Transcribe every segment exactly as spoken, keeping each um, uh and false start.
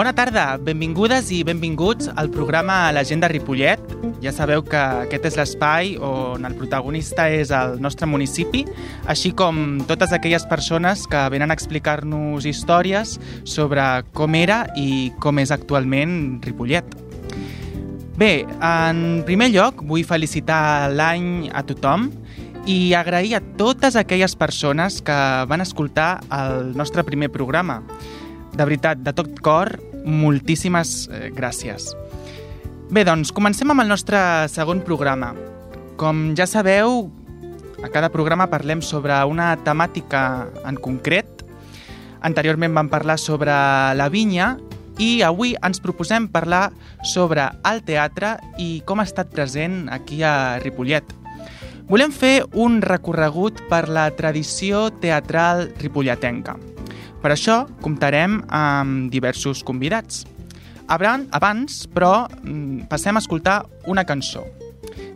Bona tarda, benvingudes i benvinguts al programa L'Agenda Ripollet. Ja sabeu que aquest és l'espai on el protagonista és el nostre municipi, així com totes aquelles persones que venen a explicar-nos històries sobre com era i com és actualment Ripollet. Bé, en primer lloc vull felicitar l'any a tothom i agrair a totes aquelles persones que van escoltar el nostre primer programa. De veritat, de tot cor, moltíssimes eh, gràcies. Bé, doncs, comencem amb el nostre segon programa. Com ja sabeu, a cada programa parlem sobre una temàtica en concret. Anteriorment vam parlar sobre la vinya i avui ens proposem parlar sobre el teatre i com ha estat present aquí a Ripollet. Volem fer un recorregut per la tradició teatral ripolletenca. Per això comptarem amb diversos convidats. Abans, però, passem a escoltar una cançó.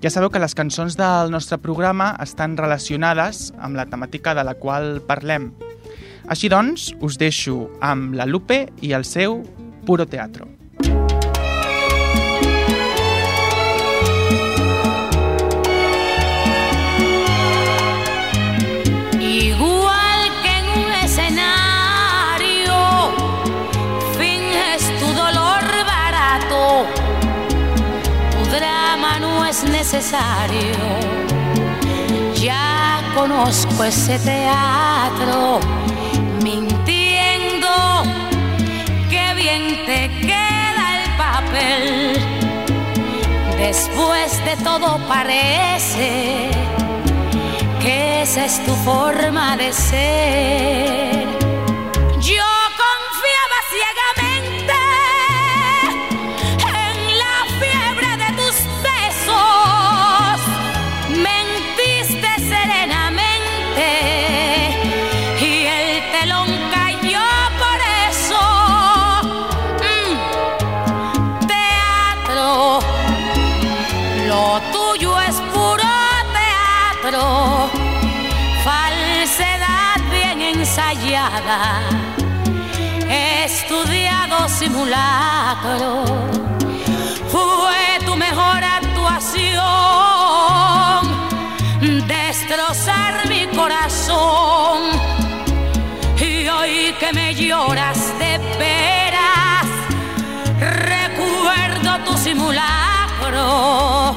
Ja sabeu que les cançons del nostre programa estan relacionades amb la temàtica de la qual parlem. Així doncs, us deixo amb la Lupe i el seu Puro Teatro. Necesario. Ya conozco ese teatro, mintiendo, qué bien te queda el papel. Después de todo parece que esa es tu forma de ser. Yo confiaba ciegamente falsedad bien ensayada, estudiado simulacro, fue tu mejor actuación, destrozar mi corazón, y hoy que me lloras de veras, recuerdo tu simulacro.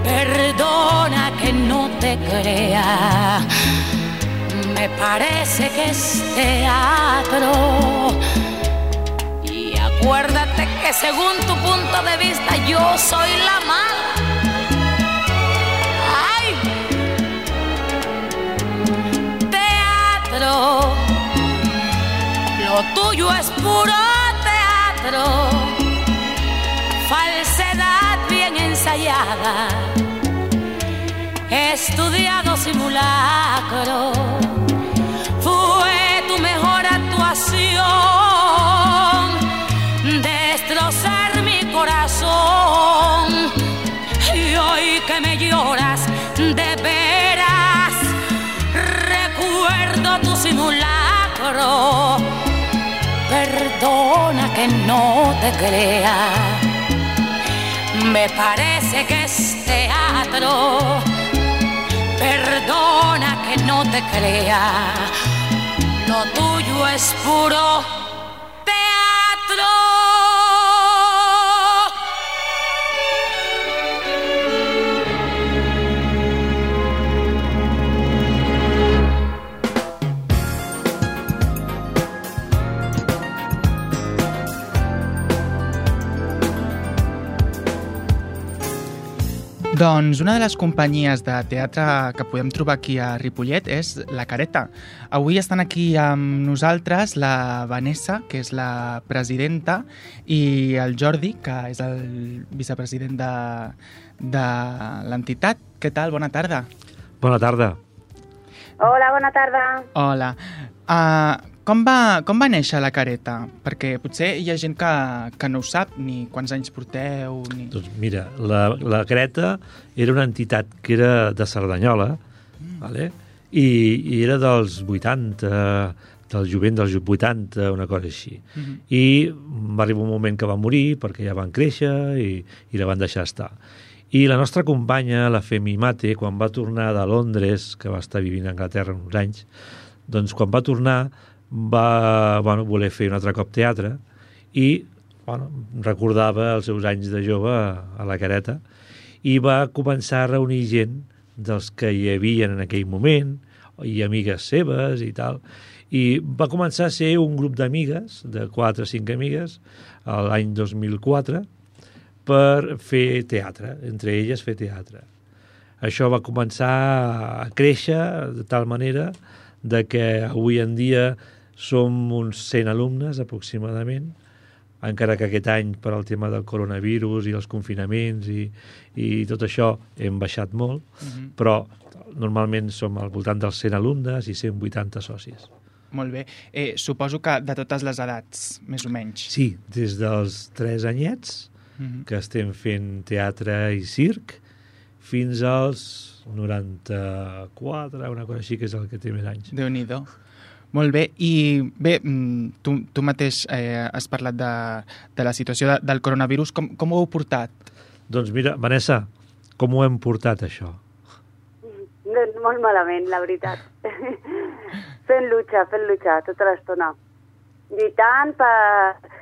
Perdona que no te crea, me parece que es teatro. Y acuérdate que según tu punto de vista yo soy la mala. ¡Ay! Teatro, lo tuyo es puro teatro, falsedad bien ensayada, estudiado simulacro, fue tu mejor actuación, destrozar mi corazón, y hoy que me lloras de veras, recuerdo tu simulacro. Perdona que no te crea, me parece que es teatro. Perdona que no te crea, lo tuyo es puro teatro. Doncs una de les companyies de teatre que podem trobar aquí a Ripollet és La Careta. Avui estan aquí amb nosaltres la Vanessa, que és la presidenta, i el Jordi, que és el vicepresident de, de l'entitat. Què tal? Bona tarda. Bona tarda. Hola, bona tarda. Hola. Uh, com, va, com va néixer La Careta? Perquè potser hi ha gent que, que no ho sap, ni quants anys porteu... Ni... Doncs mira, la, la Careta era una entitat que era de Cerdanyola, mm. vale? I, i era dels vuitanta, del jovent dels vuitanta, una cosa així. Mhm. I va arribar un moment que va morir perquè ja van créixer i, i la van deixar estar. I la nostra companya, la Femi Mate, quan va tornar de Londres, que va estar vivint a Anglaterra uns anys, doncs quan va tornar va bueno, voler fer un altre cop teatre i bueno, recordava els seus anys de jove a, a la Careta i va començar a reunir gent dels que hi havia en aquell moment i amigues seves i tal, i va començar a ser un grup d'amigues, de quatre o cinc amigues, l'any dos mil quatre, per fer teatre, entre elles fer teatre. Això va començar a créixer de tal manera de que avui en dia som uns cent alumnes aproximadament, encara que aquest any per al tema del coronavirus i els confinaments i, i tot això hem baixat molt, Mhm. però normalment som al voltant dels cent alumnes i cent vuitanta socis. Molt bé. Eh, suposo que de totes les edats, més o menys. Sí, des dels tres anyets, Mhm. que estem fent teatre i circ, fins als noranta-quatre, una cosa així, que és el que té més anys. Déu-n'hi-do. Molt bé. I bé, mm, tu, tu mateix eh, has parlat de, de la situació de, del coronavirus. Com, com ho heu portat? Doncs mira, Vanessa, com ho hem portat, això? Doncs molt malament, la veritat. fent lucha, fent lucha tota l'estona. Lluitant per,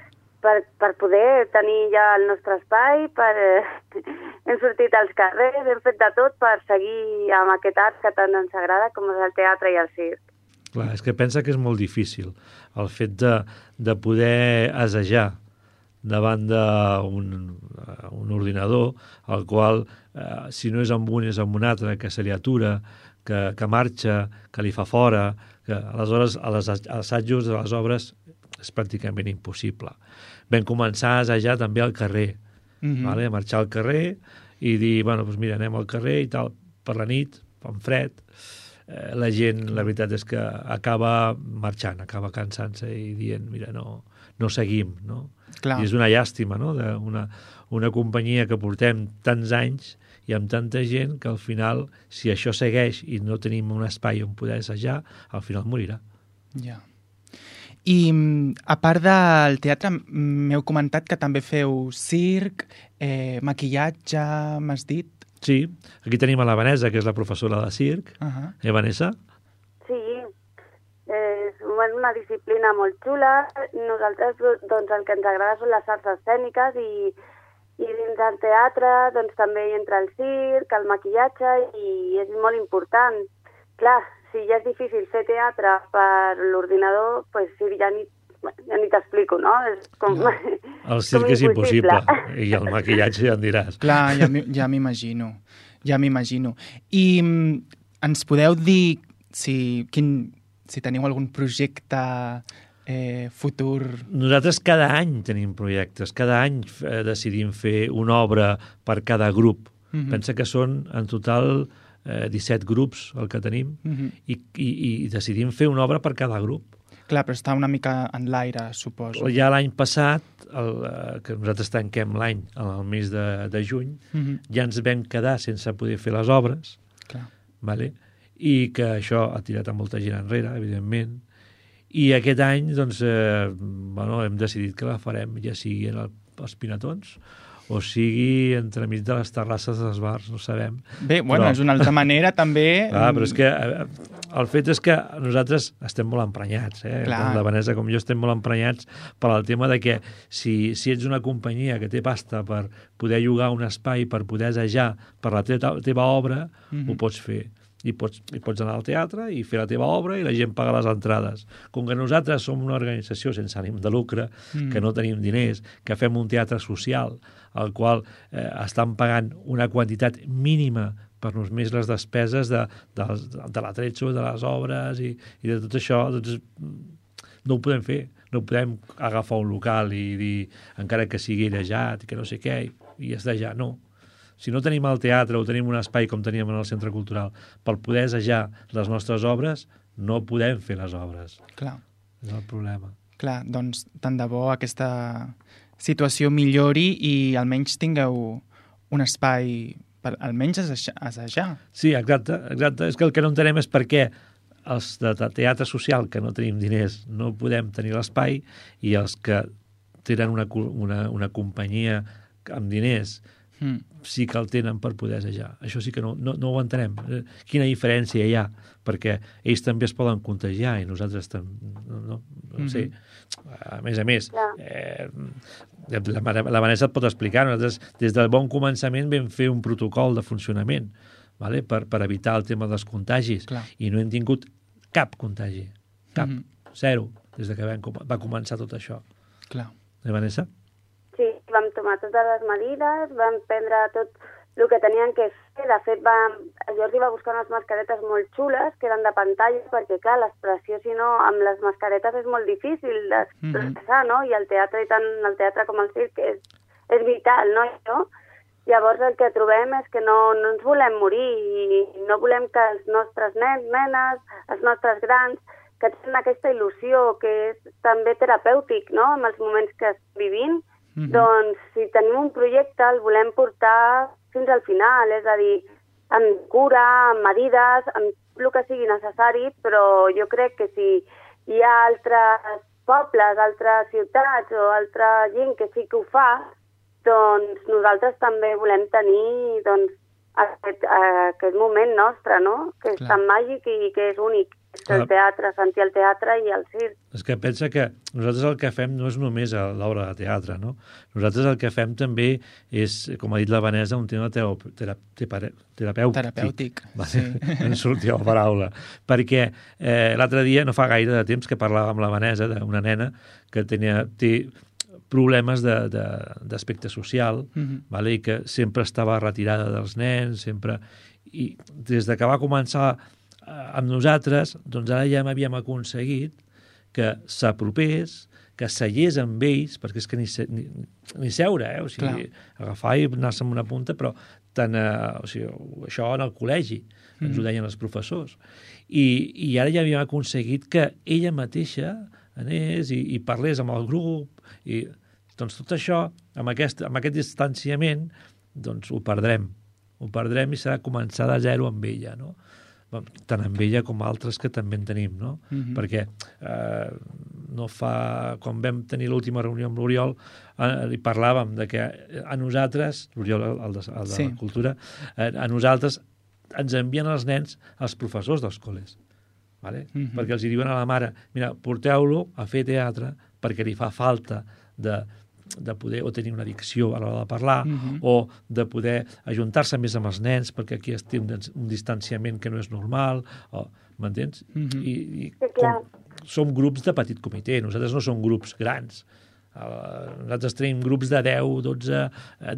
per, per poder tenir ja el nostre espai, per, eh, hem sortit als carrers, hem fet de tot per seguir amb aquest art que tant ens agrada, com és el teatre i el circ. Clar, és que pensa que és molt difícil el fet de, de poder assajar davant d'un un ordinador, el qual, eh, si no és amb un, és amb un altre, que se li atura, que, que marxa, que li fa fora, que aleshores a les als assajos de les obres és pràcticament impossible. Vam començar a assajar també al carrer, Mhm. vale? A marxar al carrer i dir, bueno, doncs mira, anem al carrer i tal, per la nit, fan fred, eh, la gent, la veritat és que acaba marxant, acaba cansant-se i dient, mira, no, no seguim, no? Clar. I és una llàstima, no?, d'una una companyia que portem tants anys i amb tanta gent que al final, si això segueix i no tenim un espai on poder assajar, al final morirà. Ja. I mm, a part del teatre, mm, m'heu comentat que també feu circ, eh, maquillatge, m'has dit? Sí, aquí tenim a la Vanessa, que és la professora de circ. Uh -huh. Eh, Vanessa? Sí, és una disciplina molt xula. Nosaltres, doncs, el que ens agrada són les arts escèniques i, i dins del teatre doncs, també hi entra el circ, el maquillatge, i és molt important. Clar, si ja és difícil fer teatre per l'ordinador, doncs sí, ja ni, ja ni t'explico, no? És com, No. El circ com és impossible. impossible. I el maquillatge ja en diràs. Clar, ja m'hi- ja m'imagino. Ja m'imagino. I mm, ens podeu dir si, quin, si teniu algun projecte eh, futur? Nosaltres cada any tenim projectes, cada any eh, decidim fer una obra per cada grup. Mhm. Pensa que són en total eh, disset grups el que tenim Mhm. i, i, i decidim fer una obra per cada grup. Clar, però està una mica en l'aire, suposo. Ja l'any passat, el, eh, que nosaltres tanquem l'any al mes de, de juny, Mhm. ja ens vam quedar sense poder fer les obres, Clar. vale? I que això ha tirat a molta gent enrere, evidentment. I aquest any, doncs, eh, bueno, hem decidit que la farem, ja sigui en el, els Pinatons o sigui entremig de les terrasses dels bars, no sabem. Bé, bueno, Però- és una altra manera, també. Ah, però és que eh, el fet és que nosaltres estem molt emprenyats, eh? Clar. Tant la Vanessa com jo estem molt emprenyats per al tema de que si, si ets una companyia que té pasta per poder llogar un espai, per poder assajar per la teva, teva obra, Mhm. ho pots fer. I pots, i pots anar al teatre i fer la teva obra i la gent paga les entrades. Com que nosaltres som una organització sense ànim de lucre, Mm. que no tenim diners, que fem un teatre social, al qual eh, estan pagant una quantitat mínima per només les despeses de, de, de l'atretxo, de les obres i, i de tot això, doncs no ho podem fer. No podem agafar un local i dir, encara que sigui airejat i que no sé què, i, i assajar, no. Si no tenim el teatre o tenim un espai com teníem en el centre cultural per poder assajar les nostres obres, no podem fer les obres. Clar, És el problema. clar, doncs tant de bo aquesta situació millori i almenys tingueu un espai per almenys assajar. assajar. Sí, exacte, exacte. És que el que no entenem és per què els de teatre social, que no tenim diners, no podem tenir l'espai, i els que tenen una, una, una companyia amb diners mm. sí que el tenen per poder assajar. Això sí que no, no, no ho entenem. Quina diferència hi ha? Perquè ells també es poden contagiar i nosaltres també, no, no, no sé. A més a més, eh, la, la Vanessa et pot explicar, nosaltres des del bon començament vam fer un protocol de funcionament, vale? per, per evitar el tema dels contagis. Clar. I no hem tingut cap contagi. Cap. Mm -hmm. Zero. Des de que vam, va començar tot això. Clar. Eh, Vanessa? Sí, vam tomar totes les medides, vam prendre tot el que tenien que fer. De fet, vam, Jordi va buscar unes mascaretes molt xules, que eren de pantalla, perquè, clar, l'expressió, si no, amb les mascaretes és molt difícil d'expressar, mm -hmm. no? I el teatre, i tant el teatre com el circ, és, és vital, no? no? Llavors el que trobem és que no, no ens volem morir i no volem que els nostres nens, nenes, els nostres grans, que tenen aquesta il·lusió que és també terapèutic, no?, en els moments que estem vivint, mm-hmm. doncs si tenim un projecte el volem portar fins al final, és a dir, amb cura, amb medides, amb el que sigui necessari, però jo crec que si hi ha altres pobles, altres ciutats o altra gent que sí que ho fa, doncs nosaltres també volem tenir doncs, aquest, aquest moment nostre, no?, que és Clar. tan màgic i que és únic. El teatre, sentir el teatre i el circ. És que pensa que nosaltres el que fem no és només l'obra de teatre, no? Nosaltres el que fem també és, com ha dit la Vanessa, un tema terapèutic. Terapèutic. Terapèutic, vale? Sí. Em sortia la paraula. Perquè eh, l'altre dia, no fa gaire de temps, que parlava amb la Vanessa d'una nena que tenia, té problemes d'aspecte social, mm-hmm. vale? I que sempre estava retirada dels nens, sempre... I des de que va començar amb nosaltres, doncs ara ja havíem aconseguit que s'apropés, que seiés amb ells, perquè és que ni, se, ni, ni seure, eh? O sigui, Clar. agafar i anar-se amb una punta, però tant, eh, o sigui, això en el col·legi, mm. ens ho deien els professors. I, i ara ja havíem aconseguit que ella mateixa anés i, i parlés amb el grup, i doncs tot això, amb aquest, amb aquest distanciament, doncs ho perdrem. Ho perdrem i serà començar de zero amb ella, no? Tant amb ella com altres que també en tenim, no? Mm-hmm. Perquè eh, no fa... Quan vam tenir l'última reunió amb l'Oriol, eh, li parlàvem de que a nosaltres, l'Oriol, el de, el de sí. la Cultura, eh, a nosaltres ens envien els nens als professors dels col·les, vale? Mm-hmm. Perquè els hi diuen a la mare, mira, porteu-lo a fer teatre perquè li fa falta de... de poder o tenir una dicció a l'hora de parlar, mm-hmm. o de poder ajuntar-se més amb els nens perquè aquí es té un, un distanciament que no és normal, o, m'entens? Mm-hmm. I, i com, som grups de petit comitè, nosaltres no som grups grans. Uh, nosaltres tenim grups de deu, dotze,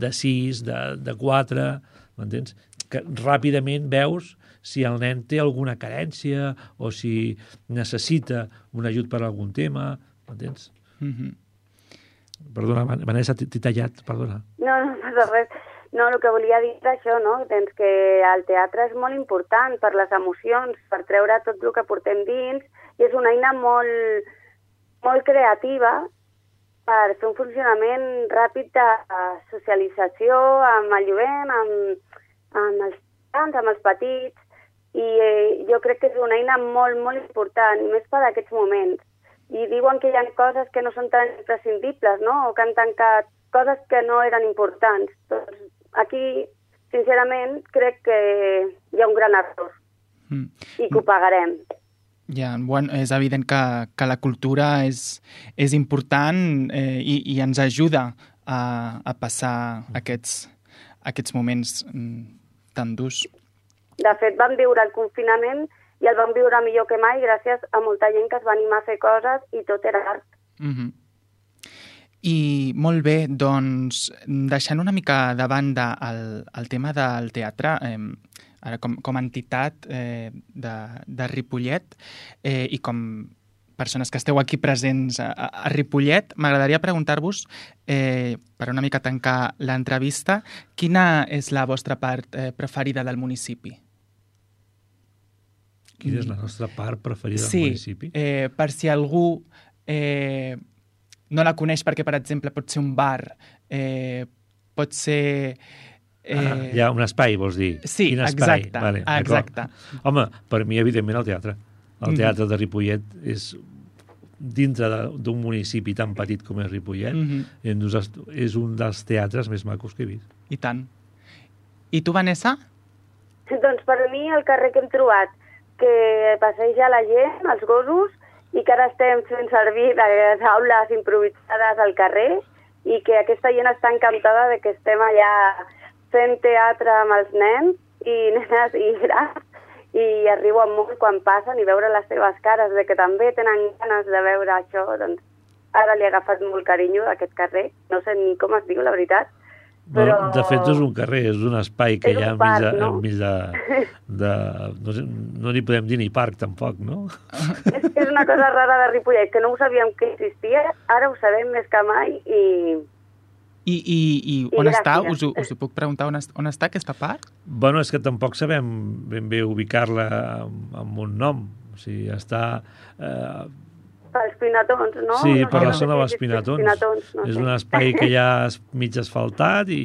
de sis, de, de quatre, m'entens? Que ràpidament veus si el nen té alguna carència o si necessita un ajut per algun tema, m'entens? Mm-hmm. Perdona, Vanessa, t'he tallat, perdona. No, no passa res. No, el que volia dir és això, no? Doncs que el teatre és molt important per les emocions, per treure tot el que portem dins, i és una eina molt, molt creativa per fer un funcionament ràpid de socialització amb el jovent, amb, amb els grans, amb els petits, i eh, jo crec que és una eina molt, molt important, i més per aquests moments. I diuen que hi ha coses que no són tan imprescindibles, no?, o que han tancat coses que no eren importants. Doncs aquí, sincerament, crec que hi ha un gran error mm. i que ho pagarem. Ja, bueno, és evident que, que la cultura és, és important eh, i, i ens ajuda a, a passar aquests, aquests moments mm, tan durs. De fet, vam viure el confinament i el vam viure millor que mai gràcies a molta gent que es va animar a fer coses i tot era art. Mm-hmm. I molt bé, doncs, deixant una mica de banda el, el tema del teatre, eh, ara com, com a entitat eh, de, de Ripollet eh, i com persones que esteu aquí presents a, a Ripollet, m'agradaria preguntar-vos, eh, per una mica tancar l'entrevista, quina és la vostra part eh, preferida del municipi? Quina és la nostra part preferida sí, del municipi? Sí, eh, per si algú eh, no la coneix perquè, per exemple, pot ser un bar, eh, pot ser... Eh... Ah, hi ha un espai, vols dir? Sí, Quin espai? exacte. Vale, exacte. Home, per mi, evidentment, el teatre. El teatre de Ripollet és, dintre d'un municipi tan petit com és Ripollet, mm-hmm. és un dels teatres més macos que he vist. I tant. I tu, Vanessa? Doncs per mi el carrer que hem trobat, que passeja la gent, els gossos, i que ara estem fent servir les aules improvisades al carrer, i que aquesta gent està encantada de que estem allà fent teatre amb els nens i nenes i grans, i es riuen molt quan passen i veure les seves cares, de que també tenen ganes de veure això, doncs ara li he agafat molt carinyo a aquest carrer, no sé ni com es diu, la veritat. Però... Bueno, de fet, no és un carrer, és un espai que és hi ha parc, enmig de... no? Enmig de, de no sé, no n'hi podem dir ni parc, tampoc, no? És que és una cosa rara de Ripollet, que no ho sabíem que existia, ara ho sabem més que mai i... I, i, i on I està? Us ho, us ho puc preguntar on, on està aquesta parc? Bueno, és que tampoc sabem ben bé ubicar-la amb, amb un nom. O sigui, està... Eh... Pels Pinatons, no? Sí, no per sé, la no zona sé dels si Pinatons. Pinatons no és sé. un espai que hi ha mig asfaltat i,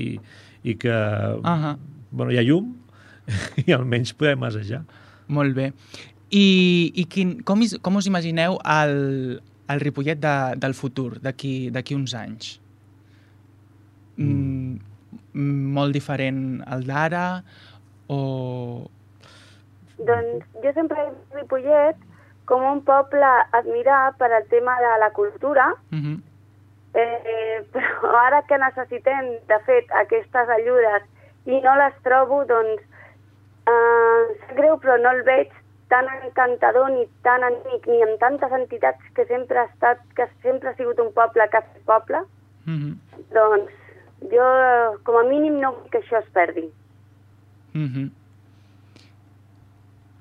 i que uh-huh. bueno, hi ha llum i almenys podem assajar. Molt bé. I, i quin, com, is, com us imagineu el, el Ripollet de, del futur, d'aquí uns anys? Mm. Mm, molt diferent al d'ara o... Doncs jo sempre he vist Ripollet com un poble a admirar per al tema de la cultura, uh-huh. eh, però ara que necessitem, de fet, aquestes ajudes i no les trobo, doncs, eh, sap greu, però no el veig tan encantador ni tan amic, ni amb tantes entitats que sempre ha estat, que sempre ha sigut un poble que ha fet poble. Uh-huh. Doncs jo, com a mínim, no vull que això es perdi. Mhm. Uh-huh.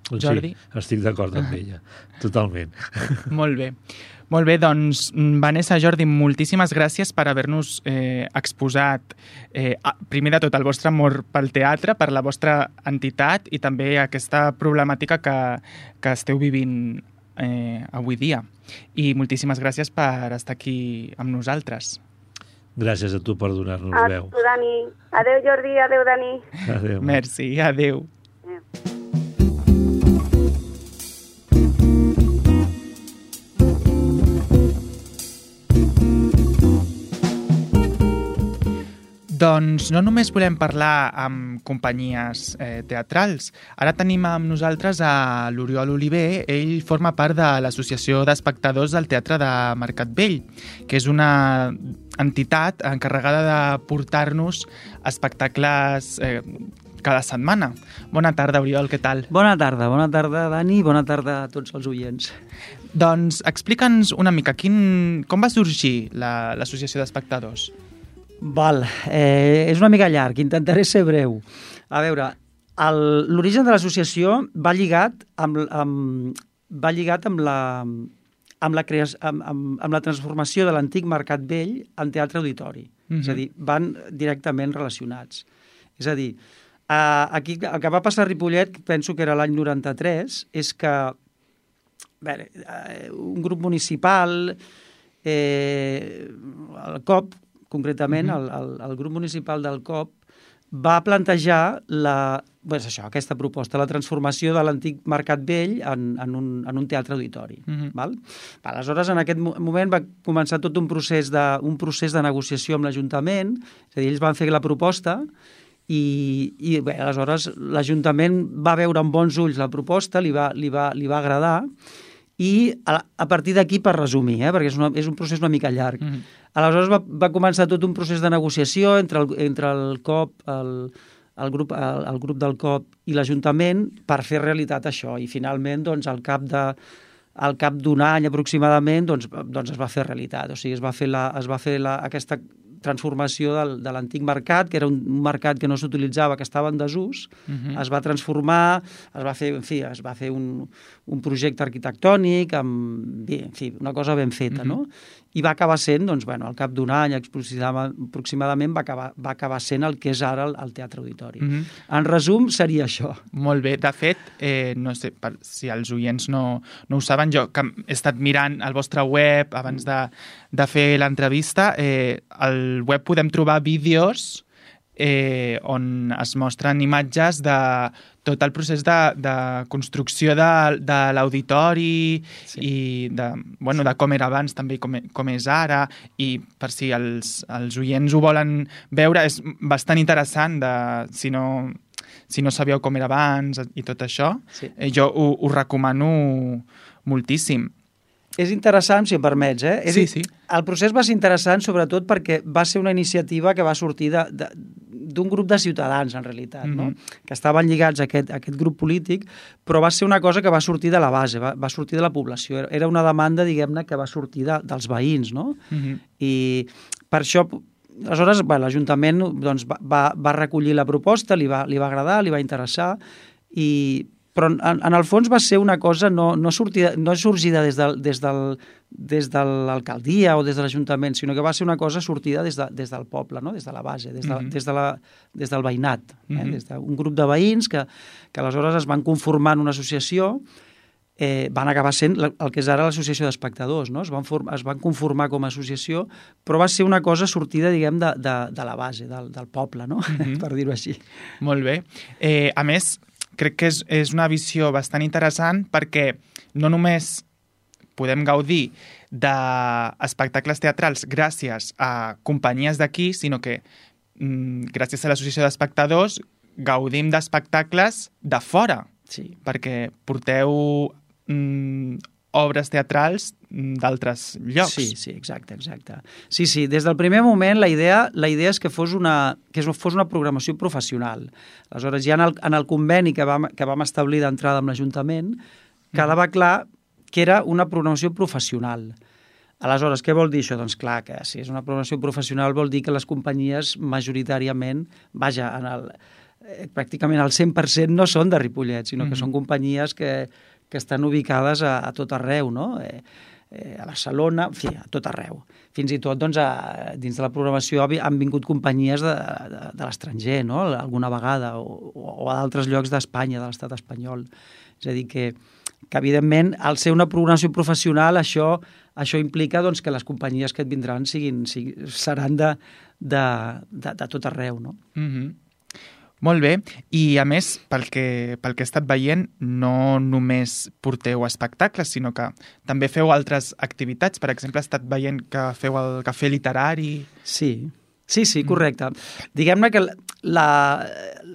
Jordi? Sí, estic d'acord amb ella, totalment. Molt bé. Molt bé, doncs, Vanessa, Jordi, moltíssimes gràcies per haver-nos eh, exposat, eh, primer de tot, el vostre amor pel teatre, per la vostra entitat i també aquesta problemàtica que, que esteu vivint eh, avui dia. I moltíssimes gràcies per estar aquí amb nosaltres. Gràcies a tu per donar-nos veu. Adéu, Dani. Adéu, Jordi. Adéu, Dani. Adéu. Merci, adéu. Adéu. Doncs no només volem parlar amb companyies eh, teatrals. Ara tenim amb nosaltres a l'Oriol Oliver. Ell forma part de l'Associació d'Espectadors del Teatre de Mercat Vell, que és una entitat encarregada de portar-nos espectacles eh, cada setmana. Bona tarda, Oriol, què tal? Bona tarda, bona tarda, Dani, bona tarda a tots els oients. Doncs explica'ns una mica, quin, com va sorgir l'Associació d'Espectadors? Val, eh, és una mica llarg, intentaré ser breu. A veure, l'origen de l'associació va lligat amb, amb, va lligat amb la, amb la, crea, amb, amb, amb la transformació de l'antic Mercat Vell en teatre auditori. Mm-hmm. És a dir, van directament relacionats. És a dir, eh, aquí, el que va passar a Ripollet, penso que era l'any noranta-tres, és que bé, eh, un grup municipal, eh, el C O P, concretament, uh-huh. el, el, el grup municipal del C O P va plantejar la, doncs això, aquesta proposta, la transformació de l'antic Mercat Vell en, en, un, en un teatre auditori. Uh-huh. Val? Aleshores, en aquest moment va començar tot un procés de, un procés de negociació amb l'Ajuntament, és a dir, ells van fer la proposta i, i bé, aleshores l'Ajuntament va veure amb bons ulls la proposta, li va, li va, li va agradar i a, a partir d'aquí, per resumir, eh, perquè és, una, és un procés una mica llarg, uh-huh. aleshores va, va començar tot un procés de negociació entre el, entre el C O P, el, el, grup, el, el grup del C O P i l'Ajuntament per fer realitat això. I finalment, doncs, al cap de, al cap d'un any aproximadament, doncs, doncs es va fer realitat. O sigui, es va fer, la, es va fer la, aquesta transformació del, de l'antic mercat, que era un mercat que no s'utilitzava, que estava en desús, uh-huh. es va transformar, es va fer, en fi, es va fer un, un projecte arquitectònic, amb, bé, en fi, una cosa ben feta, uh-huh. no? I va acabar sent, doncs, bueno, al cap d'un any aproximadament va acabar, va acabar sent el que és ara el, el Teatre Auditori. Uh-huh. En resum, seria això. Molt bé. De fet, eh, no sé, per, si els oients no, no ho saben, jo que he estat mirant el vostre web abans de, de fer l'entrevista, eh, al web podem trobar vídeos eh, on es mostren imatges de tot el procés de, de construcció de, de l'auditori sí. i de, bueno, de com era abans també com, com és ara, i per si els, els oients ho volen veure, és bastant interessant de, si no, si no sabíeu com era abans i tot això, sí. eh, jo ho, ho recomano moltíssim. És interessant, si em permets, eh? És sí, sí. El procés va ser interessant sobretot perquè va ser una iniciativa que va sortir de, de, d'un grup de ciutadans, en realitat, mm-hmm. no? Que estaven lligats a aquest, a aquest grup polític, però va ser una cosa que va sortir de la base, va, va sortir de la població. Era una demanda, diguem-ne, que va sortir de, dels veïns, no? Mm-hmm. I per això, aleshores, bueno, l'Ajuntament doncs, va, va recollir la proposta, li va, li va agradar, li va interessar, i... però en, en el fons va ser una cosa no, no, sortida, no sorgida des, del, des, del, des de l'alcaldia o des de l'Ajuntament, sinó que va ser una cosa sortida des, de, des del poble, no? Des de la base, des, de, mm-hmm. des, de la, des del veïnat, eh? Mm-hmm. Des d'un grup de veïns que, que aleshores es van conformar en una associació, eh, van acabar sent el que és ara l'associació d'espectadors, no? Es van, form, es van conformar com a associació, però va ser una cosa sortida, diguem, de, de, de la base, del, del poble, no? Mm-hmm. Per dir-ho així. Molt bé. Eh, a més, crec que és, és una visió bastant interessant perquè no només podem gaudir d'espectacles teatrals gràcies a companyies d'aquí, sinó que mm, gràcies a l'associació d'espectadors gaudim d'espectacles de fora, sí. perquè porteu mm, obres teatrals d'altres llocs. Sí, sí, exacte, exacte. Sí, sí, des del primer moment la idea, la idea és que fos una, que fos una programació professional. Aleshores, ja en el, en el conveni que vam, que vam establir d'entrada amb l'Ajuntament, quedava clar que era una programació professional. Aleshores, què vol dir això? Doncs clar, que si és una programació professional vol dir que les companyies majoritàriament, vaja, en el, eh, pràcticament el cent per cent no són de Ripollet, sinó que mm-hmm. són companyies que, que estan ubicades a, a tot arreu, no? Eh, eh, a Barcelona, en fi, a tot arreu. Fins i tot, doncs, a, dins de la programació han vingut companyies de, de, de l'estranger, no? Alguna vegada, o, o a d'altres llocs d'Espanya, de l'estat espanyol. És a dir, que, que evidentment, al ser una programació professional, això, això implica doncs, que les companyies que et vindran siguin, siguin, seran de, de, de, de tot arreu, no? Mm-hmm. Molt bé, i a més, pel que, pel que he estat veient, no només porteu espectacles, sinó que també feu altres activitats. Per exemple, he estat veient que feu el cafè literari. Sí, sí, sí, correcte. Mm. Diguem-ne que la,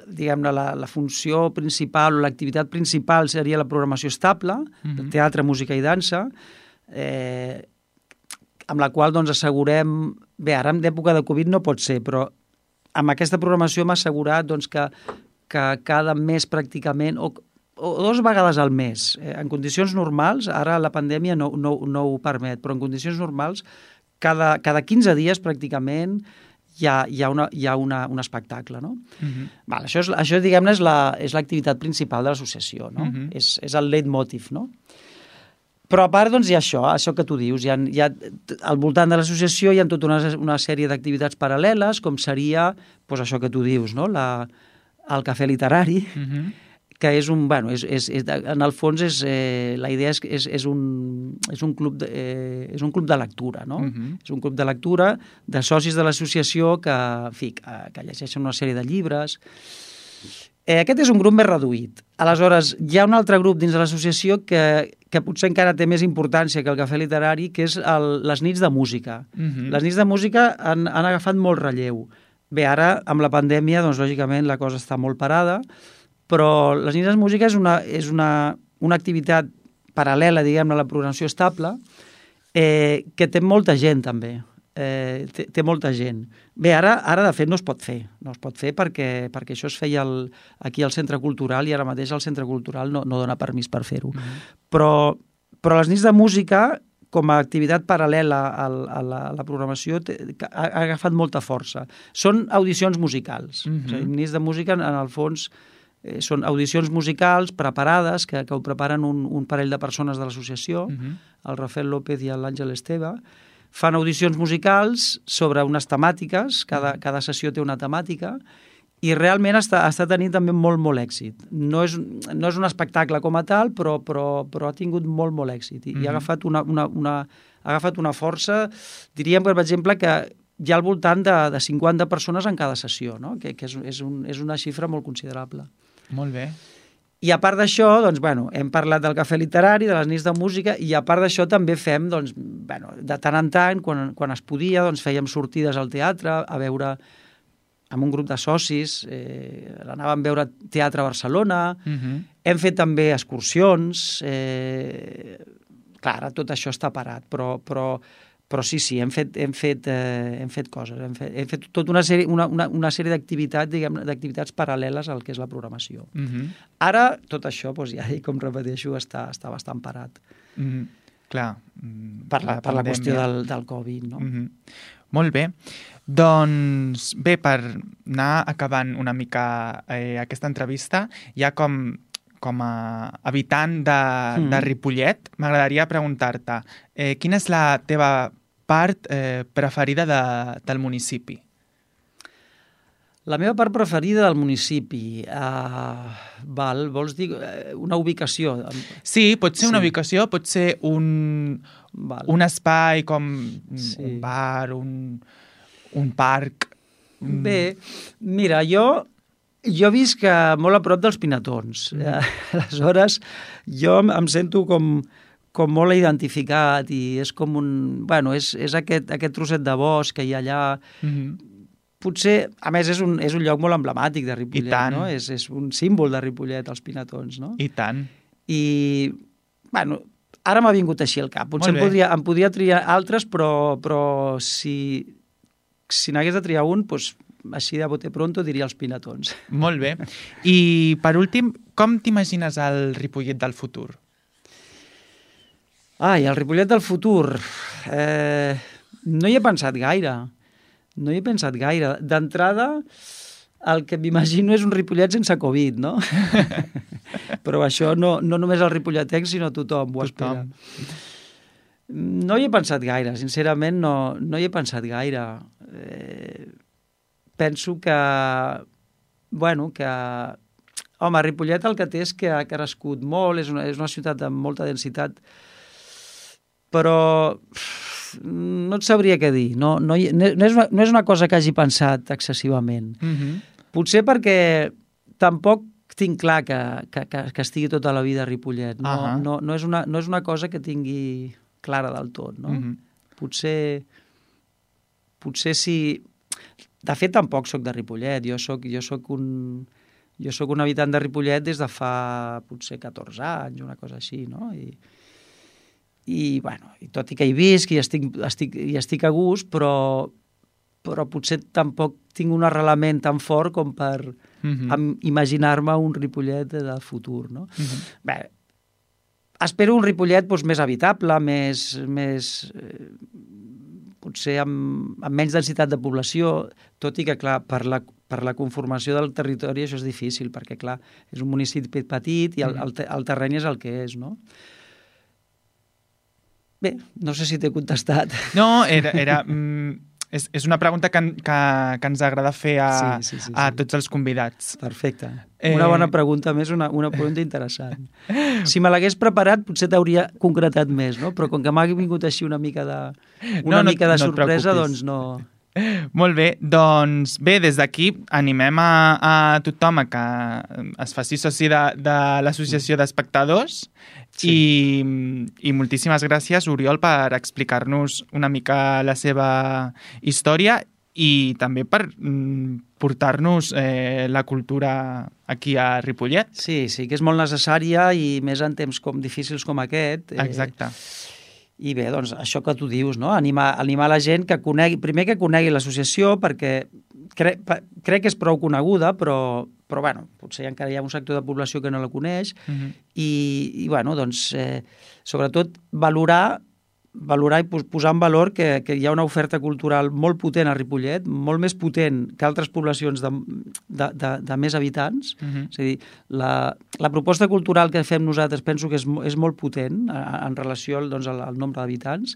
diguem-ne la, la funció principal o l'activitat principal seria la programació estable, mm-hmm. de teatre, música i dansa, eh, amb la qual doncs, assegurem... Bé, ara en època de Covid no pot ser, però amb aquesta programació m'ha assegurat doncs, que, que cada mes pràcticament, o, o dues vegades al mes, eh, en condicions normals, ara la pandèmia no, no, no ho permet, però en condicions normals, cada, cada quinze dies pràcticament hi ha, hi ha, una, hi ha una, un espectacle. No? Uh-huh. Val, això, és, això diguem-ne, és, la, és l'activitat principal de l'associació, no? Uh-huh. és, és el leitmotiv, no? Però a part, doncs, hi ha això, això que tu dius. Hi ha, hi ha, al voltant de l'associació hi ha tota una, una sèrie d'activitats paral·leles, com seria doncs, això que tu dius, no? La, el cafè literari, uh-huh. que és un... Bueno, és, és, és, en el fons, és, eh, la idea és, és, és, un, és, un club de, eh, és un club de lectura, no? Uh-huh. És un club de lectura de socis de l'associació que, en fi, que, que llegeixen una sèrie de llibres. Eh, aquest és un grup més reduït. Aleshores, hi ha un altre grup dins de l'associació que, que potser encara té més importància que el cafè literari, que és el, les nits de música. Uh-huh. Les nits de música han, han agafat molt relleu. Bé, ara, amb la pandèmia, doncs, lògicament, la cosa està molt parada, però les nits de música és una, és una, una activitat paral·lela, diguem-ne, a la programació estable, eh, que té molta gent, també. Eh, té, té molta gent. Bé, ara, ara de fet no es pot fer, no es pot fer perquè, perquè això es feia el, aquí al Centre Cultural i ara mateix el Centre Cultural no, no dona permís per fer-ho. Mm-hmm. Però, però les nits de música, com a activitat paral·lela a, a, la, a la programació, té, ha, ha agafat molta força. Són audicions musicals. Mm-hmm. O sigui, nits de música, en el fons, eh, són audicions musicals preparades, que, que ho preparen un, un parell de persones de l'associació, mm-hmm. el Rafael López i l'Àngel Esteve. Fan audicions musicals sobre unes temàtiques, cada, cada sessió té una temàtica, i realment està, està tenint també molt, molt èxit. No és, no és un espectacle com a tal, però, però, però ha tingut molt, molt èxit. I, mm-hmm. i ha, agafat una, una, una, ha agafat una força, diríem, per exemple, que, hi ha al voltant de, de cinquanta persones en cada sessió, no? que, que és, és, un, és una xifra molt considerable. Molt bé. I a part d'això, doncs, bueno, hem parlat del cafè literari, de les nits de música, i a part d'això també fem, doncs, bueno, de tant en tant, quan, quan es podia, doncs, fèiem sortides al teatre, a veure amb un grup de socis, eh, anàvem a veure teatre a Barcelona, uh-huh. Hem fet també excursions, eh, clar, ara tot això està parat, però, però, però sí, sí, hem fet, hem fet, eh, hem fet coses, hem fet, hem fet tota una sèrie, una, una, una sèrie d'activitats, diguem, d'activitats paral·leles al que és la programació. Uh-huh. Ara, tot això, doncs, ja, com repeteixo, està, està bastant parat. Uh-huh. Clar. Per la, per la qüestió del, del Covid, no? Uh-huh. Molt bé. Doncs bé, per anar acabant una mica eh, aquesta entrevista, ja com, com a habitant de, mm. de Ripollet, m'agradaria preguntar-te eh, quina és la teva part eh, preferida de, del municipi? La meva part preferida del municipi, uh, val, vols dir una ubicació? Sí, pot ser una sí. ubicació, pot ser un, un espai com sí. un bar, un, un parc. Bé, mira, jo, jo visc molt a prop dels Pinatons. Mm. Aleshores, jo em sento com, com molt identificat i és com un... Bueno, és, és aquest, aquest trosset de bosc que hi ha allà... Mm-hmm. Potser, a més, és un, és un lloc molt emblemàtic de Ripollet, no? És, és un símbol de Ripollet, els Pinatons, no? I tant. I, bueno, ara m'ha vingut així al cap. Potser em podria, em podria triar altres, però, però si, si n'hagués de triar un, doncs, així de bote pronto diria els Pinatons. Molt bé. I, per últim, com t'imagines el Ripollet del futur? Ai, el Ripollet del futur... Eh, no hi he pensat gaire. No hi he pensat gaire. D'entrada, el que m'imagino és un Ripollet sense Covid, no? Però això no, no només el ripolletens, sinó tothom ho espera. No hi he pensat gaire, sincerament no, no hi he pensat gaire. Eh, penso que, bueno, que... Home, Ripollet el que té és que ha crescut molt, és una, és una ciutat amb molta densitat, però... no et sabria què dir. No, no, no, és una, no és una cosa que hagi pensat excessivament. Uh-huh. Potser perquè tampoc tinc clar que, que, que, que estigui tota la vida a Ripollet. No, uh-huh. no, no, és una, no és una cosa que tingui clara del tot. No? Uh-huh. Potser, potser si... De fet, tampoc sóc de Ripollet. Jo sóc, jo sóc un... Jo sóc un habitant de Ripollet des de fa potser catorze anys, una cosa així, no? I... I, bueno, i tot i que hi visc i estic, estic, i estic a gust, però, però potser tampoc tinc un arrelament tan fort com per uh-huh. imaginar-me un Ripollet del futur, no? Uh-huh. Bé, espero un Ripollet doncs, més habitable, més, més eh, potser amb, amb menys densitat de població, tot i que, clar, per la, per la conformació del territori això és difícil, perquè, clar, és un municipi petit i el, el, el terreny és el que és, no? Bé, no sé si t'he contestat. No, era, era, mm, és, és una pregunta que, que, que ens agrada fer a, sí, sí, sí, a sí. tots els convidats. Perfecte. Eh... Una bona pregunta més, una, una pregunta interessant. Si me l'hagués preparat potser t'hauria concretat més, no? Però com que m'ha vingut així una mica de, una no, mica no, de no sorpresa, doncs no... Molt bé, doncs bé, des d'aquí animem a, a tothom a que es faci soci de, de l'Associació d'Espectadors sí. i, i moltíssimes gràcies, Oriol, per explicar-nos una mica la seva història i també per mm, portar-nos eh, la cultura aquí a Ripollet. Sí, sí, que és molt necessària i més en temps com difícils com aquest. Eh, Exacte. I bé, doncs, això que tu dius, no? Animar, animar la gent que conegui, primer que conegui l'associació, perquè cre, crec que és prou coneguda, però, però bueno, potser encara hi ha un sector de població que no la coneix, uh-huh. i, i bueno, doncs, eh, sobretot valorar, valorar i posar en valor que, que hi ha una oferta cultural molt potent a Ripollet, molt més potent que altres poblacions de, de, de, de més habitants. Uh-huh. És a dir, la, la proposta cultural que fem nosaltres penso que és, és molt potent en, en relació doncs, al, al nombre d'habitants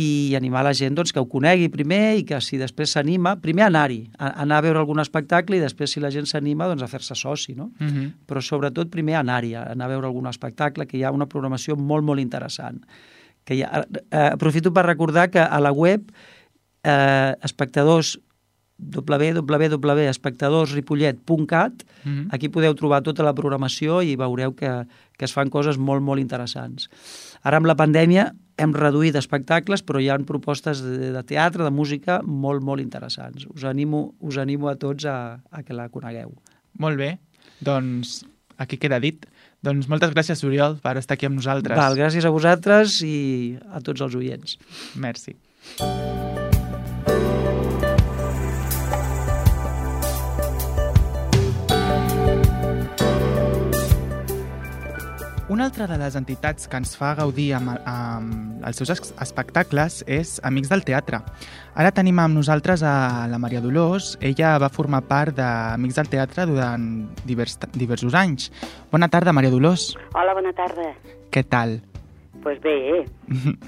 i animar la gent doncs, que ho conegui primer i que si després s'anima, primer anar-hi, a, anar a veure algun espectacle i després si la gent s'anima doncs, a fer-se soci, no? Uh-huh. Però sobretot primer anar-hi, anar a veure algun espectacle, que hi ha una programació molt, molt interessant. Que ja, eh, aprofito per recordar que a la web eh, espectadors w w w punt espectadors ripollet punt cat. Mm-hmm. Aquí podeu trobar tota la programació i veureu que, que es fan coses molt, molt interessants. Ara, amb la pandèmia, hem reduït espectacles, però hi ha propostes de, de teatre, de música, molt, molt interessants. Us animo, us animo a tots a, a que la conegueu. Molt bé. Doncs aquí queda dit. Doncs moltes gràcies, Oriol, per estar aquí amb nosaltres. Val, gràcies a vosaltres i a tots els oients. Merci. Una altra de les entitats que ens fa gaudir amb, amb els seus espectacles és Amics del Teatre. Ara tenim amb nosaltres a la Maria Dolors. Ella va formar part d'Amics del Teatre durant divers, diversos anys. Bona tarda, Maria Dolors. Hola, bona tarda. Què tal? Doncs pues bé, eh?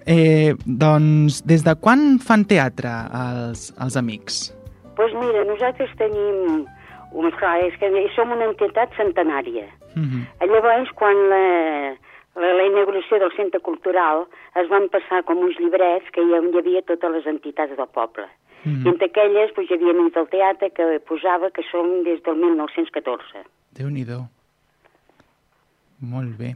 eh? Doncs des de quan fan teatre els, els Amics? Doncs pues mira, nosaltres tenim... Clar, és que som una entitat centenària. Uh-huh. Llavors, quan la, la, la inauguració del Centre Cultural es van passar com uns llibrets que hi havia totes les entitats del poble. Uh-huh. I entre aquelles doncs, hi havia Amics del Teatre que posava que som des del mil nou-cents catorze. Déu-n'hi-do. Molt bé.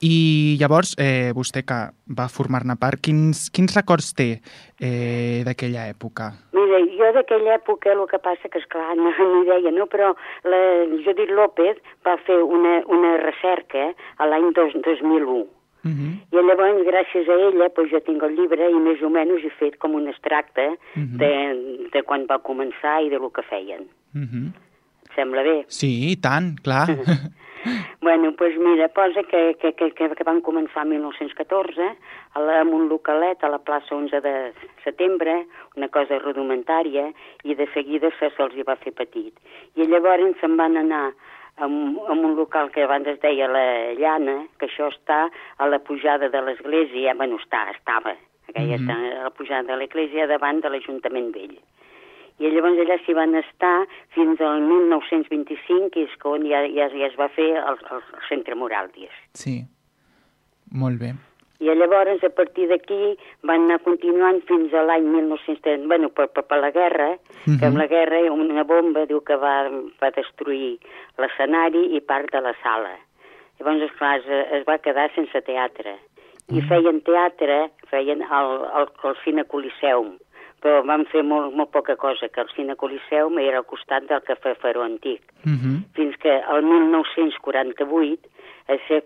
I llavors, eh, vostè que va formar-ne part, quins, quins records té eh, d'aquella època? Mira, jo d'aquella època el que passa que, esclar, no, no hi deia, no? Però la Judit López va fer una, una recerca a l'any dos mil u. Uh-huh. I llavors, gràcies a ella, doncs jo tinc el llibre i més o menys he fet com un extracte uh-huh. de, de quan va començar i de lo que feien. Uh-huh. Et sembla bé? Sí, i tant, clar. Bueno, doncs pues mira, posa que, que, que, que van començar el mil nou-cents catorze a la, amb un localet a la plaça onze de setembre, una cosa rudimentària, i de seguida se se'ls hi va fer petit. I llavors se'n van anar amb, amb un local que abans es deia la Llana, que això està a la pujada de l'església, bueno, està, estava, aquella mm-hmm. està a la pujada de l'església davant de l'Ajuntament Vell. I llavors allà s'hi van estar fins al mil nou-cents vint-i-cinc, que és on ja, ja, ja es va fer el, el centre moral, digues. Sí, molt bé. I llavors, a partir d'aquí, van anar continuant fins a l'any mil nou-cents trenta, bueno, per, per, per la guerra, uh-huh. que amb la guerra una bomba diu que va, va destruir l'escenari i part de la sala. Llavors, esclar, es, es va quedar sense teatre. I uh-huh. feien teatre, feien el, el, el Cine Coliseum, però vam fer molt, molt poca cosa, que el Cine Coliseum era al costat del Cafè Faró Antic. Uh-huh. Fins que el mil nou-cents quaranta-vuit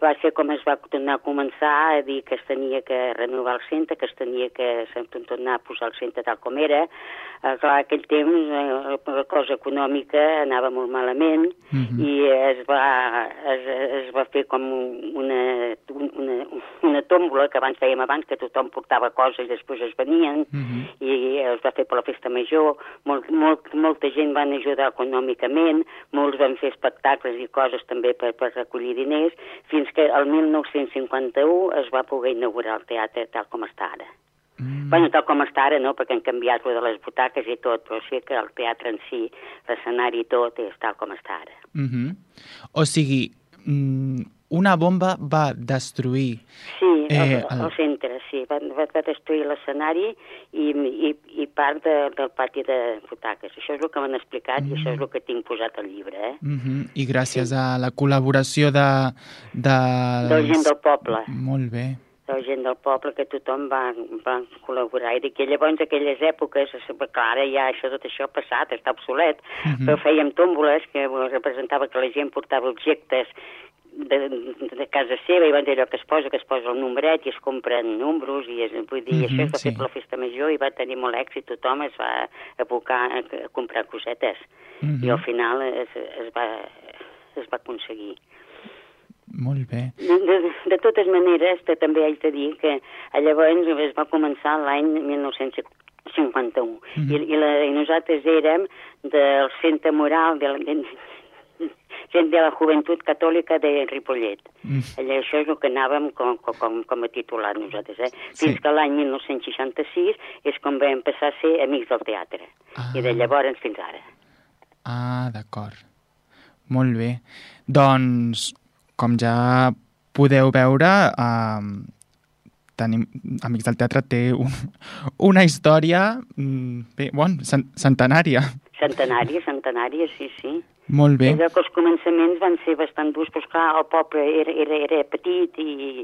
va ser com es va tornar a començar a dir que es tenia que renovar el centre, que es tenia que tornar a posar el centre tal com era. Eh, clar, aquell temps eh, la cosa econòmica anava molt malament uh-huh. i es va, es, es va fer com una, una, una tòmbola que abans fèiem abans, que tothom portava coses i després es venien uh-huh. i es va fer per la festa major. Molt, molt, molta gent van ajudar econòmicament, molts van fer espectacles i coses també per, per recollir diners, fins que el mil nou-cents cinquanta-u es va poder inaugurar el teatre tal com està ara. Mm. Bueno, tal com està ara, no?, perquè han canviat lo de les butaques i tot, però sí que el teatre en si, l'escenari i tot, és tal com està ara. Mm-hmm. O sigui, una bomba va destruir... Sí, el, eh, el... el centre, sí, va, va, va destruir l'escenari i, i, i part de, del pati de butaques. Això és el que m'han explicat mm. i això és el que tinc posat al llibre, eh? Mm-hmm. I gràcies sí. a la col·laboració de... De, de la gent del poble. Molt bé. De la gent del poble, que tothom va, va col·laborar. I que llavors, aquelles èpoques, clar, ara ja això, tot això ha passat, està obsolet, mm-hmm. però fèiem tòmboles que representava que la gent portava objectes de, de casa seva, i van dir allò que es posa, que es posa el numeret i es compren números, i es, vull dir, mm-hmm, això es va sí. fer per la festa major i va tenir molt èxit, tothom es va abocar a, a comprar cosetes. Mm-hmm. I al final es, es, va, es va aconseguir. Molt bé. De, de, de totes maneres, també haig de dir que llavors es va començar l'any mil nou-cents cinquanta-u mm-hmm. I, i, la, i nosaltres érem del Centre Moral de la, de, de la Joventut Catòlica de Ripollet. Mm. Allà, això és el que anàvem com, com, com a titular nosaltres, eh? Fins sí. que l'any mil nou-cents seixanta-sis és quan vam passar a ser Amics del Teatre. Ah. I de llavors fins ara. Ah, d'acord. Molt bé. Doncs... com ja podeu veure, eh, tenim, Amics del Teatre té un, una història bé, bon, centenària. Centenària, centenària, sí, sí. Molt bé. És que els començaments van ser bastant durs, però clar, el poble era, era, era petit, i...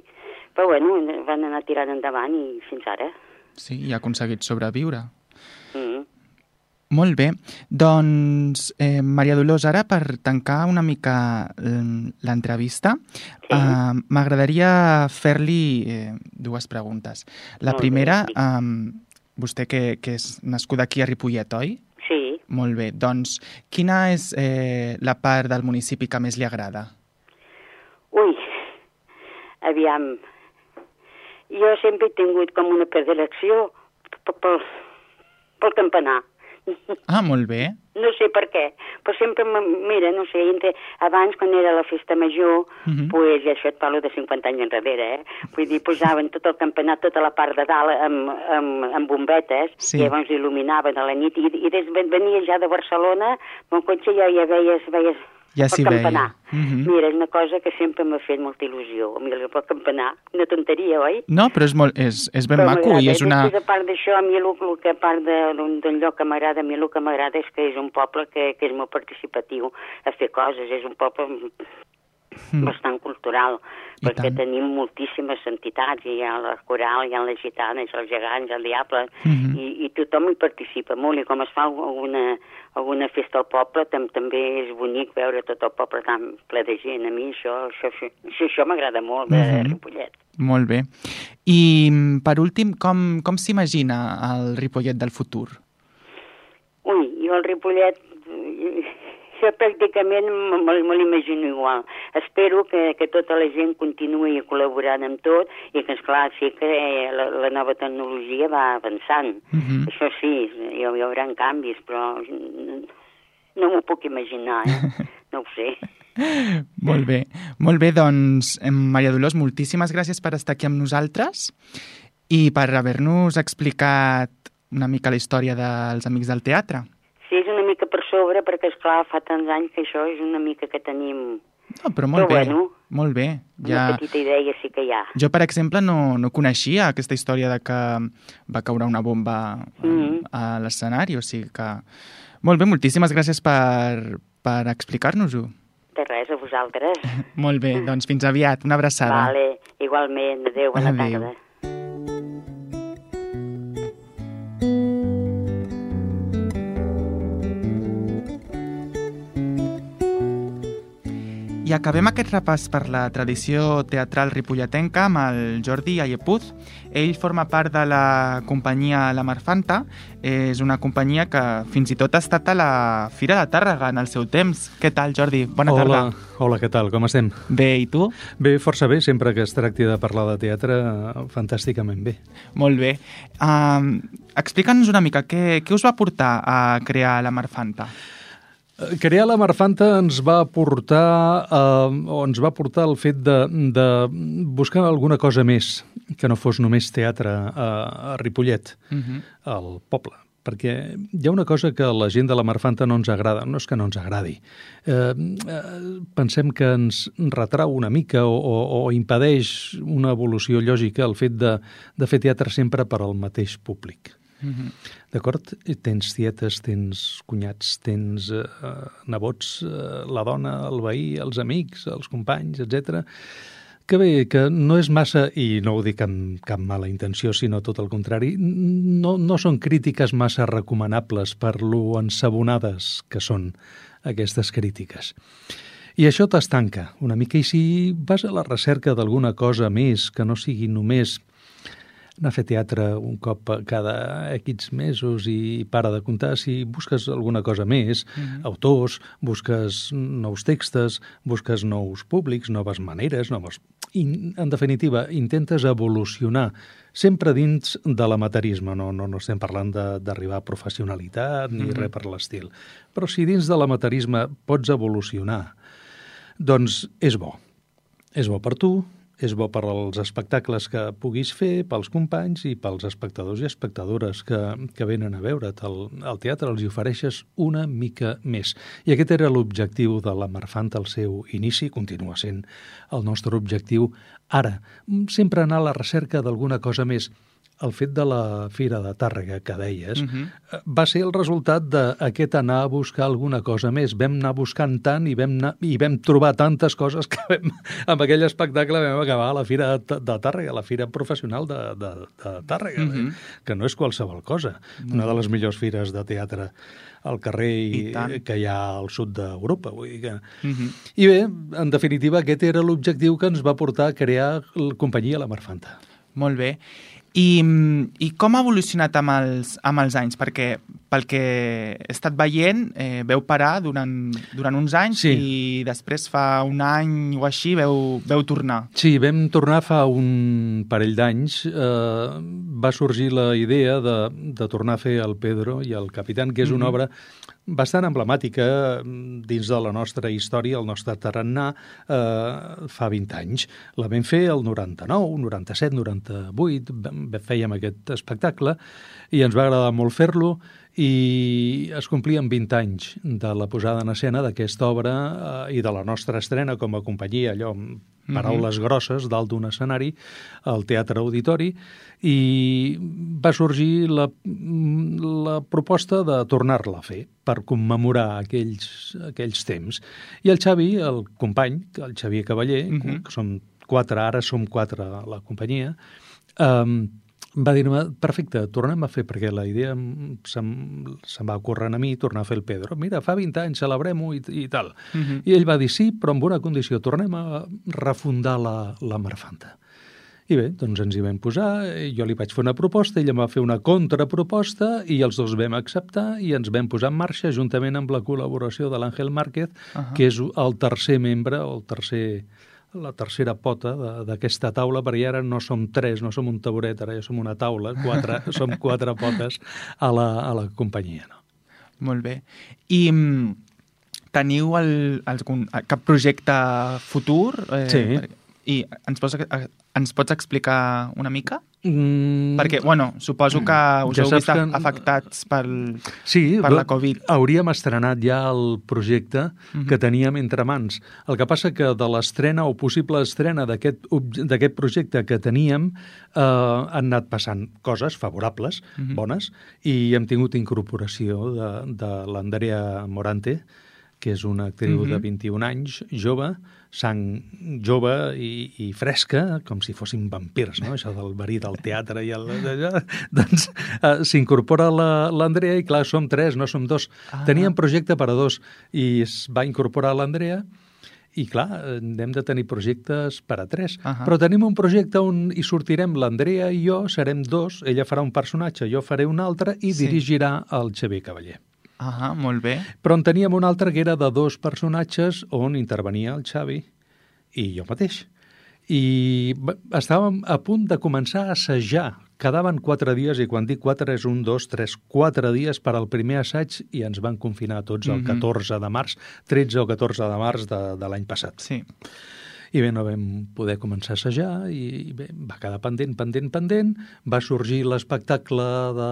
però bueno, van anar tirant endavant i fins ara. Sí, i ha aconseguit sobreviure. Mm. Molt bé. Doncs, eh, Maria Dolors, ara per tancar una mica l'entrevista, sí. eh, m'agradaria fer-li eh, dues preguntes. La Molt primera, bé. eh, vostè que, que és nascuda aquí a Ripollet, oi? Sí. Molt bé. Doncs, quina és eh, la part del municipi que més li agrada? Ui, aviam, jo sempre he tingut com una predilecció pel, pel campanar. Ah, molt bé. No sé per què, però sempre, mira, no sé, entre, abans quan era la festa major, uh-huh. pues, això et parlo de cinquanta anys enrere, eh? Vull dir, posaven tot el campanar, tota la part de dalt amb, amb, amb bombetes, sí. I llavors il·luminaven a la nit, i, i des venia ja de Barcelona, amb el cotxe ja, ja veies, veies ja el campanar. Uh-huh. Mira, és una cosa que sempre m'ha fet molta il·lusió, a mi el campanar, una tonteria, oi? No, però és, molt, és, és ben però maco i és una... Després, a part d'això, a mi el, el que a part d'un lloc que m'agrada, a mi el que m'agrada és que és un poble que, que és molt participatiu a fer coses, és un poble mm. bastant cultural, I perquè tant. Tenim moltíssimes entitats, hi ha la coral, hi ha les gitanes, els gegants, el diable, mm-hmm. i, i tothom hi participa molt, i com es fa alguna, alguna festa al poble, tam, també és bonic veure tot el poble tan ple de gent. A mi això, això, això, això m'agrada molt, de mm-hmm. Ripollet. Molt bé. I, per últim, com, com s'imagina el Ripollet del futur? Ui, jo el Ripollet... Jo pràcticament me, me l'imagino igual. Espero que, que tota la gent continuï col·laborant amb tot i que, esclar, sí que la, la nova tecnologia va avançant. Uh-huh. Això sí, hi, hi haurà canvis, però no m'ho puc imaginar, eh? No ho sé. Molt bé. Molt bé, doncs, Maria Dolors, moltíssimes gràcies per estar aquí amb nosaltres i per haver-nos explicat una mica la història dels Amics del Teatre. Sí, és una mica per sobre, perquè, esclar, fa tants anys que això és una mica que tenim... No, però molt però bé, bueno, molt bé. Ja... Una petita idea sí que hi ha. Jo, per exemple, no, no coneixia aquesta història de que va caure una bomba mm-hmm. a l'escenari, o sigui que... Molt bé, moltíssimes gràcies per, per explicar-nos-ho. De res, a vosaltres. Molt bé, doncs fins aviat, una abraçada. Vale, igualment, adéu, bona adéu. tarda. I acabem aquest repàs per la tradició teatral ripolletenca amb el Jordi Ayepuz. Ell forma part de la companyia La Marfanta. És una companyia que fins i tot ha estat a la Fira de Tàrrega en el seu temps. Què tal, Jordi? Bona hola, tarda. Hola, què tal? Com estem? Bé, i tu? Bé, força bé. Sempre que es tracti de parlar de teatre, fantàsticament bé. Molt bé. Uh, Explica'ns una mica, què, què us va portar a crear La Marfanta? Crear La Marfanta ens va portar eh, o ens va portar el fet de, de buscar alguna cosa més que no fos només teatre a, a Ripollet, uh-huh. al poble. Perquè hi ha una cosa que a la gent de La Marfanta no ens agrada, no és que no ens agradi. Eh, eh, pensem que ens retrau una mica o, o, o impedeix una evolució lògica el fet de, de fer teatre sempre per al mateix públic. Mm-hmm. D'acord? Tens tietes, tens cunyats, tens eh, nebots, eh, la dona, el veí, els amics, els companys, etcètera. Que bé, que no és massa, i no ho dic amb cap mala intenció, sinó tot el contrari, no, no són crítiques massa recomanables per lo ensabonades que són aquestes crítiques. I això t'estanca una mica, i si vas a la recerca d'alguna cosa més que no sigui només anar a fer teatre un cop cada X mesos i para de comptar, si busques alguna cosa més, mm-hmm. autors, busques nous textos, busques nous públics, noves maneres, noves... I, en definitiva, intentes evolucionar sempre dins de l'amateurisme. No, no, no estem parlant de, d'arribar a professionalitat ni mm-hmm. res per l'estil. Però si dins de l'amateurisme pots evolucionar, doncs és bo. És bo per tu, és bo per als espectacles que puguis fer, pels companys i pels espectadors i espectadores que, que venen a veure't al, al teatre, els hi ofereixes una mica més. I aquest era l'objectiu de la Marfanta al seu inici, continua sent el nostre objectiu ara. Sempre anar a la recerca d'alguna cosa més. El fet de la Fira de Tàrrega, que deies, uh-huh. va ser el resultat d'aquest anar a buscar alguna cosa més. Vam anar buscant tant i vam, anar, i vam trobar tantes coses que vam, amb aquell espectacle vam acabar a la Fira de, de Tàrrega, la Fira Professional de, de, de Tàrrega, uh-huh. que no és qualsevol cosa. Uh-huh. Una de les millors fires de teatre al carrer i, I que hi ha al sud d'Europa. Vull dir que... uh-huh. I bé, en definitiva, aquest era l'objectiu que ens va portar a crear la companyia La Marfanta. Molt bé. I, i com ha evolucionat amb els, amb els anys? Perquè pel que he estat veient, eh, veu parar durant, durant uns anys sí. i després fa un any o així veu, veu tornar. Sí, vam tornar fa un parell d'anys. Eh, va sorgir la idea de, de tornar a fer el Pedro i el Capitán, que és una mm-hmm. obra bastant emblemàtica dins de la nostra història, el nostre tarannà, eh, fa vint anys. La vam fer el noranta-nou, noranta-set, noranta-vuit, fèiem aquest espectacle i ens va agradar molt fer-lo i es complien vint anys de la posada en escena d'aquesta obra eh, i de la nostra estrena com a companyia, allò amb paraules mm-hmm. grosses dalt d'un escenari al Teatre Auditori, i va sorgir la, la proposta de tornar-la a fer per commemorar aquells, aquells temps. I el Xavi, el company, el Xavier Cavaller, mm-hmm. que som quatre, ara som quatre a la companyia, eh, va dir-me, perfecte, tornem a fer, perquè la idea se'm, se'm va ocórrer a mi tornar a fer el Pedro. Mira, fa vint anys, celebrem-ho i, i tal. Uh-huh. I ell va dir sí, però amb una condició, tornem a refundar la, la Marfanta. I bé, doncs ens hi vam posar, jo li vaig fer una proposta, ell em va fer una contraproposta i els dos vam acceptar i ens vam posar en marxa juntament amb la col·laboració de l'Àngel Márquez, uh-huh. que és el tercer membre, o el tercer... la tercera pota d'aquesta taula, perquè ara no som tres, no som un taburet, ara ja som una taula, quatre, som quatre potes a la, a la companyia. No? Molt bé. I teniu el, el, cap projecte futur? Eh, sí. I ens pots, ens pots explicar una mica? Mm. Perquè, bueno, suposo que us ja heu vist que... afectats pel, sí, per la Covid. Hauríem estrenat ja el projecte uh-huh. que teníem entre mans. El que passa que de l'estrena o possible estrena d'aquest d'aquest projecte que teníem eh, han anat passant coses favorables, uh-huh. bones, i hem tingut incorporació de, de l'Andrea Morante, que és una actriu uh-huh. de vint-i-un anys, jove, sang jove i, i fresca, com si fossin vampirs, no? Això del verí del teatre i el... doncs uh, s'incorpora l'Andrea i, clar, som tres, no som dos. Ah. Teníem projecte per a dos i es va incorporar l'Andrea i, clar, hem de tenir projectes per a tres. Uh-huh. Però tenim un projecte on hi sortirem l'Andrea i jo, serem dos, ella farà un personatge, jo faré un altre i sí. dirigirà el Xavier Cavaller. Ah, molt bé. Però en teníem un altre que era de dos personatges on intervenia el Xavi i jo mateix. I estàvem a punt de començar a assajar. Quedaven quatre dies, i quan dic quatre és un, dos, tres, quatre dies per al primer assaig i ens van confinar tots el mm-hmm. catorze de març, tretze o catorze de març de, de l'any passat. Sí. I bé, no vam poder començar a assajar i bé, va quedar pendent, pendent, pendent. Va sorgir l'espectacle de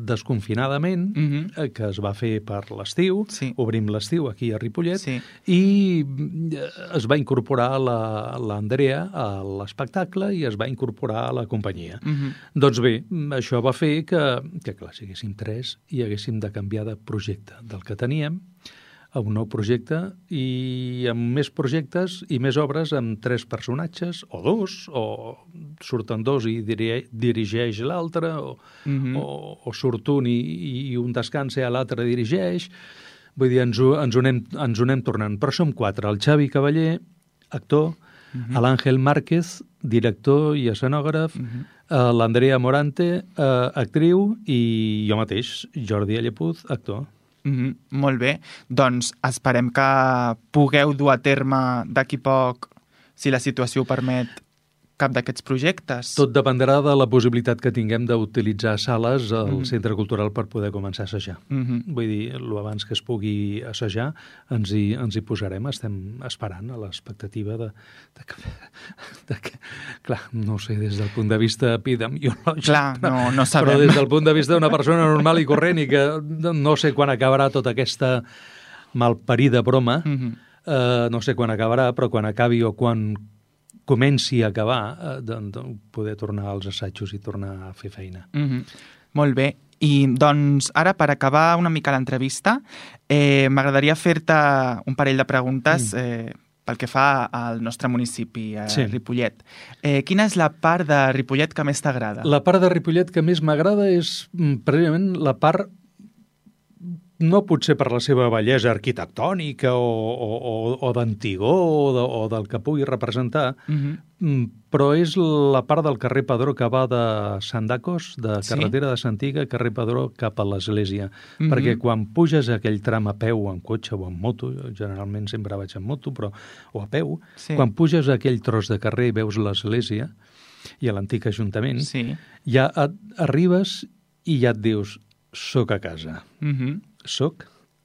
Desconfinadament, mm-hmm. que es va fer per l'estiu, sí. obrim l'estiu aquí a Ripollet, sí. i es va incorporar l'Andrea a l'espectacle i es va incorporar a la companyia. Mm-hmm. Doncs bé, això va fer que, que clar, si haguéssim tres i haguéssim de canviar de projecte del que teníem a un nou projecte i amb més projectes i més obres amb tres personatges, o dos, o surten dos i dirigeix l'altre, o, mm-hmm. o, o surt un i, i un descansa i l'altre dirigeix. Vull dir, ens ho, ens, ho anem, ens ho anem tornant. Però som quatre, el Xavi Cavaller, actor, mm-hmm. l'Àngel Márquez, director i escenògraf, mm-hmm. uh, l'Andrea Morante, uh, actriu, i jo mateix, Jordi Allepuz, actor. Mm-hmm. Molt bé. Doncs esperem que pugueu dur a terme d'aquí poc, si la situació ho permet, cap d'aquests projectes. Tot dependrà de la possibilitat que tinguem d'utilitzar sales al mm. Centre Cultural per poder començar a assajar. Mm-hmm. Vull dir, el abans que es pugui assajar ens hi, ens hi posarem. Estem esperant a l'expectativa de, de, que, de que... Clar, no sé, des del punt de vista epidemiològic. Clar, no, no sabem. Però des del punt de vista d'una persona normal i corrent i que no sé quan acabarà tota aquesta malparida broma, mm-hmm. eh, no sé quan acabarà, però quan acabi o quan comenci a acabar, eh, doncs poder tornar als assajos i tornar a fer feina. Mm-hmm. Molt bé. I doncs ara, per acabar una mica l'entrevista, eh, m'agradaria fer-te un parell de preguntes mm. eh, pel que fa al nostre municipi, a sí. Ripollet. Eh, quina és la part de Ripollet que més t'agrada? La part de Ripollet que més m'agrada és precisament la part, no potser per la seva bellesa arquitectònica o, o, o, o d'antigor o, de, o del que pugui representar, mm-hmm. però és la part del carrer Padró que va de Sant Dacos, de carretera sí? de Santiga, carrer Padró cap a l'església. Mm-hmm. Perquè quan puges aquell tram a peu, en cotxe o en moto, generalment sempre vaig en moto, però o a peu, sí. quan puges aquell tros de carrer i veus l'església i l'antic ajuntament, sí. ja et, arribes i ja et dius, soc a casa. Mm-hmm. Soc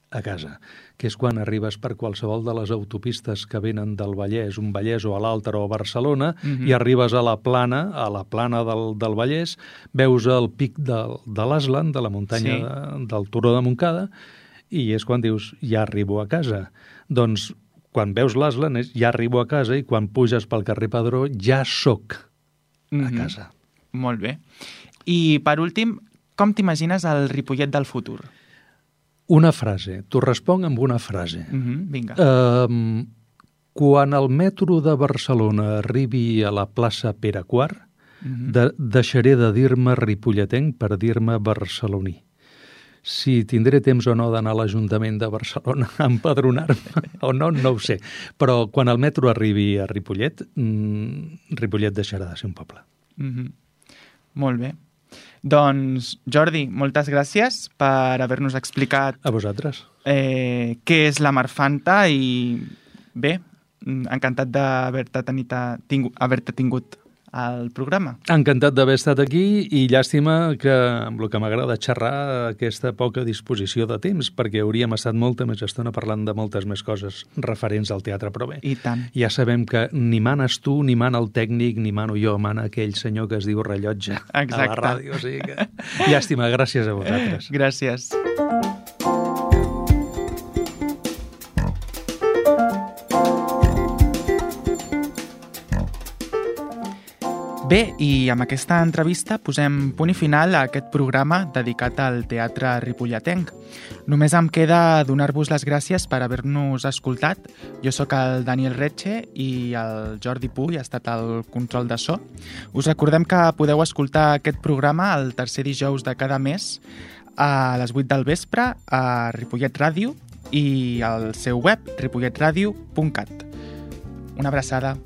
a casa, que és quan arribes per qualsevol de les autopistes que venen del Vallès, un Vallès o a l'Altre o a Barcelona, mm-hmm. i arribes a la plana, a la plana del, del Vallès, veus el pic de, de l'Aslan, de la muntanya sí. de, del Turó de Montcada, i és quan dius, ja arribo a casa. Doncs quan veus l'Aslan és, ja arribo a casa, i quan puges pel carrer Padró ja soc mm-hmm. a casa. Molt bé. I per últim, com t'imagines el Ripollet del futur? Una frase. T'ho responc amb una frase. Mm-hmm, vinga. Uh, quan el metro de Barcelona arribi a la plaça Pere quart, mm-hmm. de, deixaré de dir-me ripolletenc per dir-me barceloní. Si tindré temps o no d'anar a l'Ajuntament de Barcelona a empadronar-me o no, no ho sé. Però quan el metro arribi a Ripollet, mmm, Ripollet deixarà de ser un poble. Mm-hmm. Molt bé. Doncs, Jordi, moltes gràcies per haver-nos explicat... A vosaltres. Eh, què és la Marfanta i, bé, encantat d'haver-te tingut, haver-te tingut al programa. Encantat d'haver estat aquí i llàstima que, amb el que m'agrada xerrar, aquesta poca disposició de temps, perquè hauríem estat molta més estona parlant de moltes més coses referents al teatre, però bé. I tant. Ja sabem que ni manes tu, ni mana el tècnic, ni mano jo, mana aquell senyor que es diu rellotge Exacte. A la ràdio. O sigui que... Llàstima, gràcies a vosaltres. Gràcies. Bé, i amb aquesta entrevista posem punt i final a aquest programa dedicat al teatre ripolletenc. Només em queda donar-vos les gràcies per haver-nos escoltat. Jo sóc el Daniel Retxe i el Jordi Puy ha estat el control de so. Us recordem que podeu escoltar aquest programa el tercer dijous de cada mes a les vuit del vespre a Ripollet Ràdio i al seu web ripollet ràdio punt cat. Una abraçada.